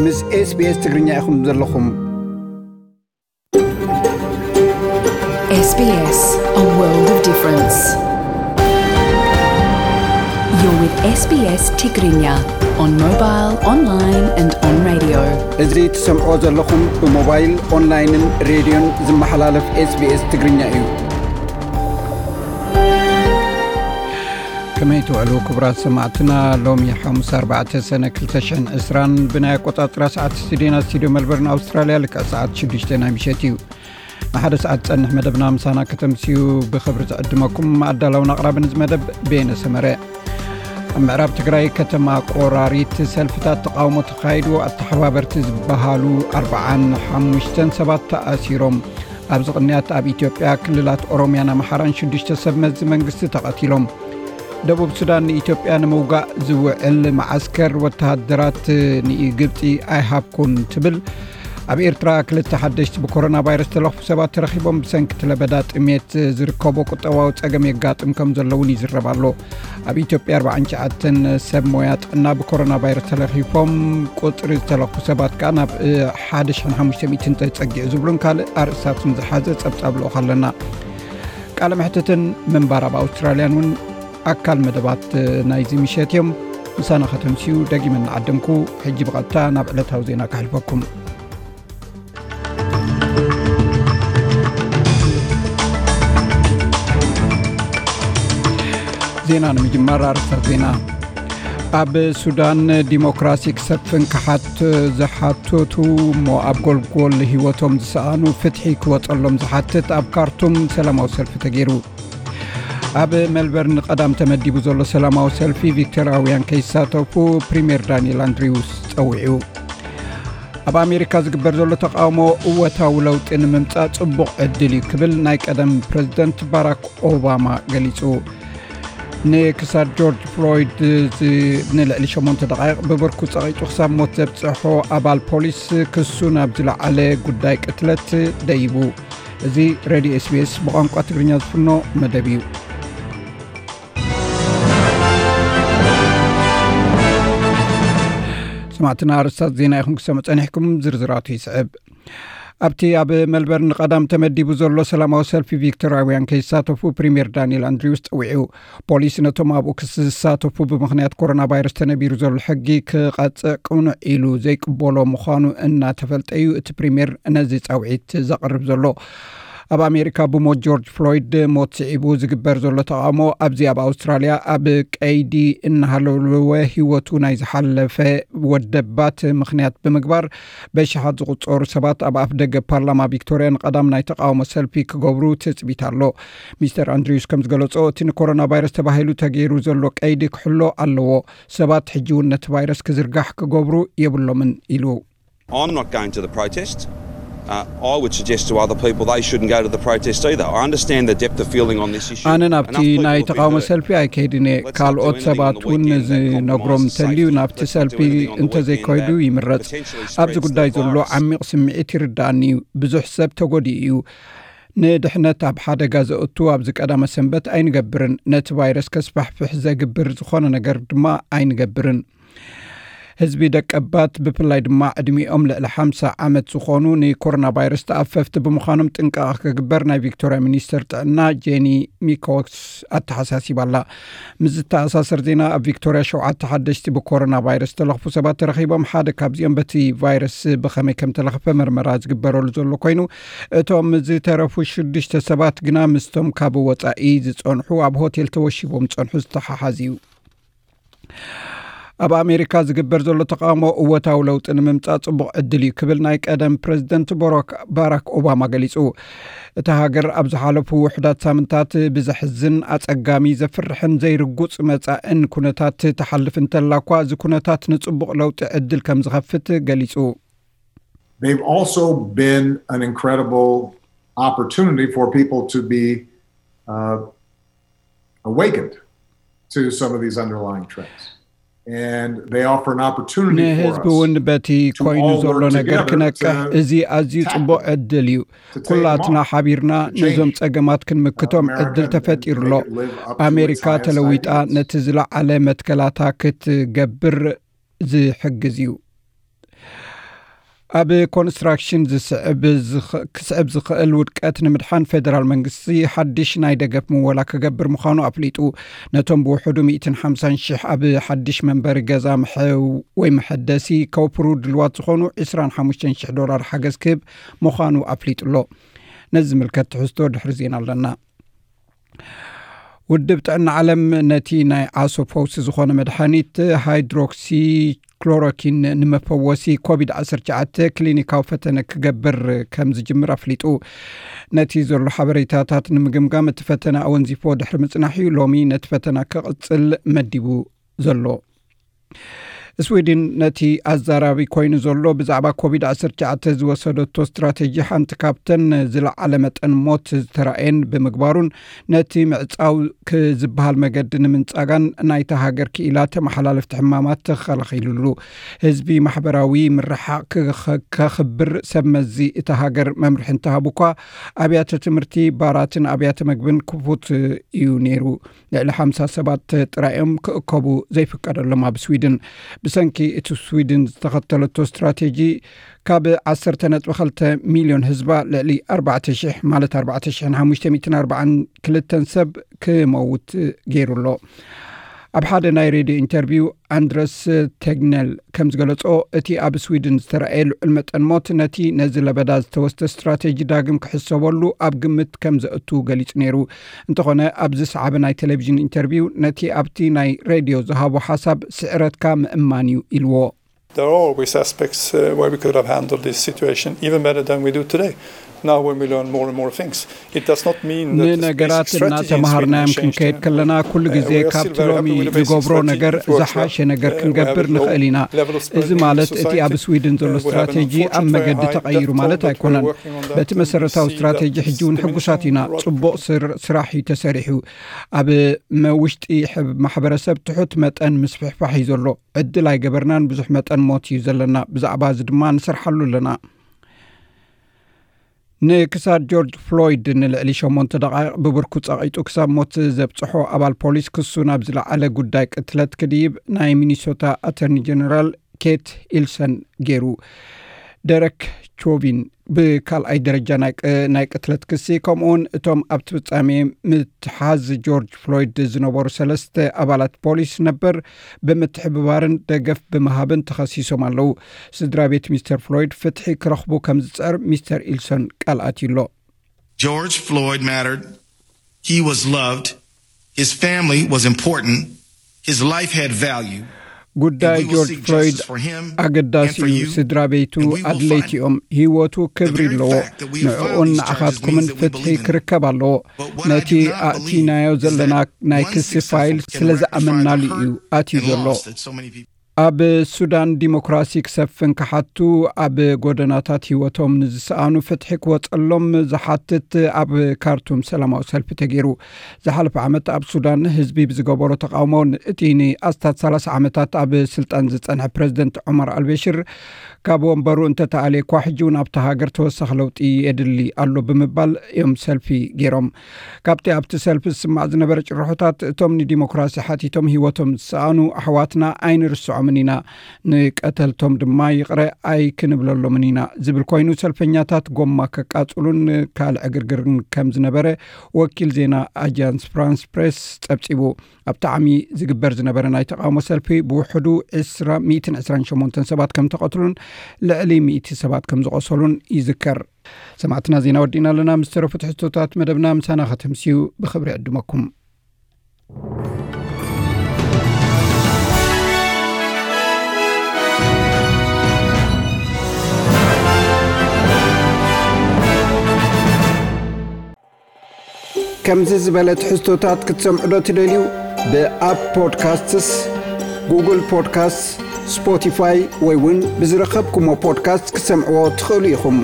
ምስ SBS ትግርኛ ኢኹም ዘለኹም። S B S, a world of difference. You're with S B S Tigrinya on mobile, online and on radio. እዚ ትሰምዖ ዘለኹም ብሞባይል፣ ኦንላይንን ሬድዮን ዝመሓላለፍ SBS ትግርኛ እዩ። ከመይ ትውዕሉ ክቡራት ሰማዕትና? ሎሚ ሓሙስ ኣርባዕተ ሰነ ክልተ ሽሕን ዕስራን ብናይ ኣቆጻጽራ ሰዓት ስቱዲዮና ስቱዲዮ መልበርን ኣውስትራልያ ልክዕ ሰዓት ሽዱሽተ ናይ ምሸት እዩ። ንሓደ ሰዓት ዝጸንሕ መደብና ምሳና ከተምስዩ ብኽብሪ ዝዕድመኩም ኣዳላውን ኣቕራብን እዚ መደብ ቤነ ሰመረ። ኣብ ምዕራብ ትግራይ ከተማ ቆራሪት ሰልፍታት ተቓውሞ ተኻይዱ። ኣተሓባበርቲ ዝበሃሉ ኣርባዓን ሓሙሽተን ሰባት ተኣሲሮም። ኣብዚ ቅንያት ኣብ ኢትዮጵያ ክልላት ኦሮሚያን ኣምሓራን ሽዱሽተ ሰብ መዚ መንግስቲ ተቐቲሎም። ደቡብ ሱዳን ንኢትዮጵያ ንምውጋእ ዝውዕል መዓስከር ወተሃደራት ንግብፂ ኣይሃብኩን ትብል። ኣብ ኤርትራ ክልተ ሓደሽቲ ብኮሮና ቫይረስ ተለኽፉ ሰባት ተረኺቦም። ብሰንኪ ለበዳ ጥሜት ዝርከቦ ቁጠባዊ ጸገም የጋጥም ከም ዘሎ እውን ይዝረብ ኣሎ። ኣብ ኢትዮጵያ ኣርባዓን ትሽዓተን ሰብ ሞያ ጥዕና ብኮሮና ቫይረስ ተለኺፎም፣ ቁጽሪ ዝተለኽፉ ሰባት ከኣ ናብ ሓደ ሽሕን ሓሙሽተ ሚእትን ተጸጊዑ ዝብሉን ካልእ ኣርእስታትን ዝሓዘ ጸብጻብ ልኡኽ ኣለና። ቃለ መሕትትን ምንባር ኣብ ኣውስትራልያን እውን ኣካል መደባት ናይዚ ምሸት እዮም። ምሳና ከተምስዩ ደጊመ እናዓደምኩ፣ ሕጂ ብቐጥታ ናብ ዕለታዊ ዜና ከሕልፈኩም። ዜና ንምጅማር ኣርእስታት ዜና። ኣብ ሱዳን ዲሞክራሲ ክሰፍን ክሓት ዝሓተቱ እሞ ኣብ ጎልጎል ህይወቶም ዝሰኣኑ ፍትሒ ክወጸሎም ዝሓትት ኣብ ካርቱም ሰላማዊ ሰልፊ ተገይሩ። ኣብ ሜልበርን ቀዳም ተመዲቡ ዘሎ ሰላማዊ ሰልፊ ቪክቶርያውያን ከይሳተፉ ፕሪምየር ዳንኤል ኣንድሪውስ ጸዊዑ። ኣብ ኣሜሪካ ዝግበር ዘሎ ተቃውሞ እወታዊ ለውጢ ንምምጻእ ጽቡቕ ዕድል እዩ ክብል ናይ ቀደም ፕረዚደንት ባራክ ኦባማ ገሊጹ። ንክሳድ ጆርጅ ፍሎይድ ዝ- ንልዕሊ ሸሞንተ ደቃይቕ ብብርኩ ጸቒጡ ክሳብ ሞት ዘብጽሖ ኣባል ፖሊስ ክሱ ናብ ዝለዓለ ጉዳይ ቅትለት ደይቡ። እዚ ሬድዮ ኤስቢኤስ ብቋንቋ ትግርኛ ዝፍኖ መደብ እዩ። ሰማዕትና ኣርስታት ዜና ኢኹም ክሰምዑ ጸኒሕኩም፣ ዝርዝራቱ ይስዕብ። ኣብቲ ኣብ ሜልበርን ቀዳም ተመዲቡ ዘሎ ሰላማዊ ሰልፊ ቪክቶርያውያን ከይሳተፉ ፕሪምየር ዳንኤል ኣንድሪውስ ጸዊዑ። ፖሊስ ነቶም ኣብኡ ክስ ዝሳተፉ ብምኽንያት ኮሮና ቫይረስ ተነቢሩ ዘሎ ሕጊ ክቐጽዕ ቅኑዕ ኢሉ ዘይቅበሎ ምዃኑ እናተፈልጠ እዩ እቲ ፕሪምየር ነዚ ጻውዒት ዘቕርብ ዘሎ። ኣብ ኣሜሪካ ብሞት ጆርጅ ፍሎይድ ሞት ስዒቡ ዝግበር ዘሎ ተቓውሞ ኣብዚ ኣብ ኣውስትራልያ ኣብ ቀይዲ እናሃለወ ህይወቱ ናይ ዝሓለፈ ወደባት ምኽንያት ብምግባር በሽሓት ዝቑጸሩ ሰባት ኣብ ኣፍ ደገ ፓርላማ ቪክቶርያ ንቐዳም ናይ ተቓውሞ ሰልፊ ክገብሩ ትጽቢት ኣሎ። ሚስተር ኣንድሪውስ ከም ዝገለጾ እቲ ንኮሮና ቫይረስ ተባሂሉ ተገይሩ ዘሎ ቀይዲ ክሕሎ ኣለዎ። ሰባት ሕጂ እውን ነቲ ቫይረስ ክዝርጋሕ ክገብሩ የብሎምን ኢሉ። I'm not going to the protest. Uh, I would suggest to other people they shouldn't go to the protest either. I understand the depth of feeling on this issue. ኣነ ናብቲ ናይ ተቃውሞ ሰልፊ ኣይከይድን እየ። ካልኦት ሰባት እውን ዝነግሮም እንተልዩ ናብቲ ሰልፊ እንተዘይከይዱ ይምረጽ። ኣብዚ ጉዳይ ዘሎ ዓሚቕ ስምዒት ይርዳእኒ እዩ። ብዙሕ ሰብ ተጎዲኡ እዩ። ንድሕነት ኣብ ሓደጋ ዘእቱ ኣብዚ ቀዳመ ሰንበት ኣይንገብርን። ነቲ ቫይረስ ከስፋሕፍሕ ዘግብር ዝኾነ ነገር ድማ ኣይንገብርን። ህዝቢ ደቀባት ብፍላይ ድማ ዕድሚኦም ልዕሊ ሓምሳ ዓመት ዝኾኑ ንኮሮና ቫይረስ ተኣፈፍቲ ብምዃኖም ጥንቃቐ ክግበር ናይ ቪክቶርያ ሚኒስተር ጥዕና ጄኒ ሚኮክስ ኣተሓሳሲባ ኣላ። ምስ ዝተኣሳሰር ዜና ኣብ ቪክቶርያ ሸውዓተ ሓደሽቲ ብኮሮና ቫይረስ ዝተለኽፉ ሰባት ተረኺቦም። ሓደ ካብዚኦም በቲ ቫይረስ ብኸመይ ከም ተለኽፈ መርመራ ዝግበረሉ ዘሎ ኮይኑ፣ እቶም ዝተረፉ ሽዱሽተ ሰባት ግና ምስቶም ካብ ወጻኢ ዝጸንሑ ኣብ ሆቴል ተወሺቦም ዝጸንሑ ዝተሓሓዝ እዩ። ኣብ ኣሜሪካ ዝግበር ዘሎ ተቃውሞ እወታዊ ለውጢ ንምምጻእ ጽቡቕ ዕድል እዩ ክብል ናይ ቀደም ፕረዚደንት ቦራክ- ባራክ ኦባማ ገሊጹ። እታ ሃገር ኣብ ዝሓለፉ ውሑዳት ሳምንታት ብዘሕዝን ኣጸጋሚ ዘፍርሕን ዘይርጉጽ መጻእን ኩነታት ትሓልፍ እንተላ እኳ እዚ ኩነታት ንጽቡቕ ለውጢ ዕድል ከም ዝኸፍት ገሊጹ። They've also been an incredible opportunity for people to be uh, awakened to some of these underlying trends. And they offer an opportunity for ንህዝቢ እውን us በቲ to ኮይኑ all ዘሎ work ነገር together ክነቅሕ to እዚ ኣዝዩ tackle ጽቡቕ ዕድል እዩ። to take them ኩላትና on. ሓቢርና Change ነዞም ጸገማት ክንምክቶም America ዕድል and ተፈጢሩ make ኣሎ። it live up to its ኣሜሪካ highest ተለዊጣ ideals. ነቲ ዝለዓለ መትከላታ ክትገብር ዝሕግዝ እዩ። ኣብ ኮንስትራክሽን ዝስዕብ ዝኽ- ክስዕብ ዝኽእል ውድቀት ንምድሓን፣ ፌደራል መንግስቲ ሓድሽ ናይ ደገፍ ምወላ ክገብር ምዃኑ ኣፍሊጡ። ነቶም ብውሕዱ ሚእትን ሓምሳን ሽሕ ኣብ ሓድሽ መንበሪ ገዛ ምሐ- ወይ መሐደሲ ከውፍሩ ድልዋት ዝኾኑ ዕስራን ሓሙሽተን ሽሕ ዶላር ሓገዝ ክህብ ምዃኑ ኣፍሊጡ ኣሎ። ነዚ ዝምልከት ትሕዝቶ ድሕሪ ዜና ኣለና። ውድብ ጥዕና ዓለም ነቲ ናይ ዓሶ ፈውሲ ዝኾነ መድሓኒት ሃይድሮክሲ ክሎሮኪን ንመፈወሲ ኮቪድ ዓሰርተ ትሽዓተ ክሊኒካዊ ፈተነ ክገብር ከም ዝጅምር ኣፍሊጡ። ነቲ ዘሎ ሓበሬታታት ንምግምጋም እቲ ፈተነ ኣወንዚፎ ድሕሪ ምጽናሕ እዩ ሎሚ ነቲ ፈተና ክቕጽል መዲቡ ዘሎ። ስዊድን ነቲ ኣዛራቢ ኮይኑ ዘሎ ብዛዕባ ኮቪድ ዓሰርተ ትሽዓተ ዝወሰደቶ ስትራቴጂ ሓንቲ ካብተን ዝለዓለ መጠን ሞት ዝተራእየን ብምግባሩን ነቲ ምዕጻው ክዝበሃል መገዲ ንምንጻጋን ናይታ ሃገር ክኢላ ተመሓላለፍቲ ሕማማት ተኸላኺሉሉ። ህዝቢ ማሕበራዊ ምርሓቕ ክኸ- ከኽብር ሰብ መዚ እታ ሃገር መምርሒ እንተሃቡ እኳ ኣብያተ ትምህርቲ፣ ባራትን ኣብያተ መግብን ክፉት እዩ ነይሩ። ልዕሊ ሓምሳ ሰባት ጥራይ እዮም ክእከቡ ዘይፍቀደሎም ኣብ ስዊድን። ብሰንኪ እቲ ስዊድን ዝተኸተለቶ ስትራቴጂ ካብ ዓሰርተ ነጥቢ ክልተ ሚልዮን ህዝባ ልዕሊ ኣርባዕተ ሽሕ ማለት ኣርባዕተ ሽሕን ሓሙሽተ ሚእትን ኣርባዓን ክልተን ሰብ ክመውት ገይሩ ኣሎ። ኣብ ሓደ ናይ ሬድዮ ኢንተርቪው ኣንድረስ ቴግነል ከም ዝገለጾ፣ እቲ ኣብ ስዊድን ዝተረኣየ ልዑል መጠን ሞት ነቲ ነዚ ለበዳ ዝተወስደ ስትራቴጂ ዳግም ክሕሰበሉ ኣብ ግምት ከም ዘእቱ ገሊጹ ነይሩ። እንተኾነ ኣብዚ ሰዓበ ናይ ቴሌቪዥን ኢንተርቪው ነቲ ኣብቲ ናይ ሬድዮ ዝሃቦ ሓሳብ ስዕረትካ ምእማን እዩ ኢልዎ። There are always aspects uh, where we could have handled this situation even better than we do today. Now, when we learn more and more things, it does not mean that the basic ንነገራት strategy in Sweden እናተማሃርናዮም has changed. ክንከይድ ከለና ኩሉ ግዜ ካብቲ ሎሚ ንገብሮ ነገር ዝሓሸ ነገር ክንገብር ንኽእል ኢና። እዚ ማለት እቲ ኣብ ስዊድን ዘሎ ስትራቴጂ ኣብ መገዲ ተቐይሩ ማለት ኣይኮነን። በቲ መሰረታዊ ስትራቴጂ ሕጂ እውን ሕጉሳት ኢና። ጽቡቕ ስር- ስራሕ እዩ ተሰሪሑ። ኣብ መውሽጢ ማሕበረሰብ ትሑት መጠን ምስፍሕፋሕ እዩ ዘሎ። ዕድል ኣይገበርናን። ብዙሕ መጠን ሞት እዩ ዘለና። ብዛዕባ እዚ ድማ ንሰርሓሉ ኣለና። ንክሳድ ጆርጅ ፍሎይድ ንልዕሊ ሸሞንተ ደቓይቕ ብብርኩ ጸቒጡ ክሳብ ሞት ዘብጽሖ ኣባል ፖሊስ ክሱ ናብ ዝለዓለ ጉዳይ ቅትለት ክድይብ ናይ ሚኒሶታ ኣተርኒ ጀነራል ኬት ኢልሰን ገይሩ። ደረክ ቾቪን ብካልኣይ ደረጃ ናይ ቅትለት ክሲ፣ ከምኡውን እቶም ኣብቲ ፍጻሜ ምትሓዝ ጆርጅ ፍሎይድ ዝነበሩ ሰለስተ ኣባላት ፖሊስ ነበር ብምትሕብባርን ደገፍ ብምሃብን ተኸሲሶም ኣለዉ። ስድራ ቤት ሚስተር ፍሎይድ ፍትሒ ክረኽቡ ከም ዝጽዕር ሚስተር ኢልሶን ቃል ኣትዩ ኣሎ። George Floyd mattered. He was loved. His family was important. His life had value. ጉዳይ ጆርጅ ፍሎይድ ኣገዳሲ እዩ። ስድራ ቤቱ ኣድለይቲ እዮም። ህይወቱ ክብሪ ኣለዎ። ንዕኡን ንዓኻትኩምን ፍትሒ ክርከብ ኣለዎ። ነቲ ኣእቲናዮ ዘለና ናይ ክሲ ፋይል ስለ ዝኣመንናሉ እዩ ኣትዩ ዘሎ። ኣብ ሱዳን ዲሞክራሲ ክሰፍን ክሓቱ ኣብ ጎደናታት ህይወቶም ንዝሰኣኑ ፍትሒ ክወፀሎም ዝሓትት ኣብ ካርቱም ሰላማዊ ሰልፊ ተገይሩ። ዝሓለፈ ዓመት ኣብ ሱዳን ህዝቢ ብዝገበሮ ተቃውሞ እቲ ንኣስታት ሰላሳ ዓመታት ኣብ ስልጣን ዝጸንሐ ፕረዚደንት ዑመር ኣልበሽር ካብ ወንበሩ እንተተኣልየ እኳ ሕጂ እውን ኣብታ ሃገር ተወሳኺ ለውጢ የድሊ ኣሎ ብምባል እዮም ሰልፊ ገይሮም። ካብቲ ኣብቲ ሰልፊ ዝስማዕ ዝነበረ ጭርሖታት እቶም ንዲሞክራሲ ሓቲቶም ህይወቶም ዝሰኣኑ ኣሕዋትና ኣይንርስዖምን ኢና፣ ንቀተልቶም ድማ ይቕረ ኣይክንብለሎምን ኢና ዝብል ኮይኑ ሰልፈኛታት ጎማ ከቃጽሉን ካልዕ ዕግርግርን ከም ዝነበረ ወኪል ዜና ኣጃንስ ፍራንስ ፕሬስ ጸብጺቡ። ኣብ ጣዕሚ ዝግበር ዝነበረ ናይ ተቃውሞ ሰልፊ ብውሕዱ ዕስራ ሚእትን ዕስራን ሸሞንተን ሰባት ከም ተቐትሉን ልዕሊ ሚእቲ ሰባት ከም ዝቆሰሉን ይዝከር። ሰማዕትና ዜና ወዲእና ኣለና። ምስ ተረፉ ትሕዝቶታት መደብና ምሳና ከተምስዩ ብኽብሪ ዕድመኩም። ከምዚ ዝበለ ትሕዝቶታት ክትሰምዑ ዶ ትደልዩ? ብኣፕ ፖድካስትስ፣ ጉግል ፖድካስትስ፣ ስፖቲፋይ ወይ እውን ብዝረኸብኩሞ ፖድካስት ክትሰምዕዎ ትኽእሉ ኢኹም።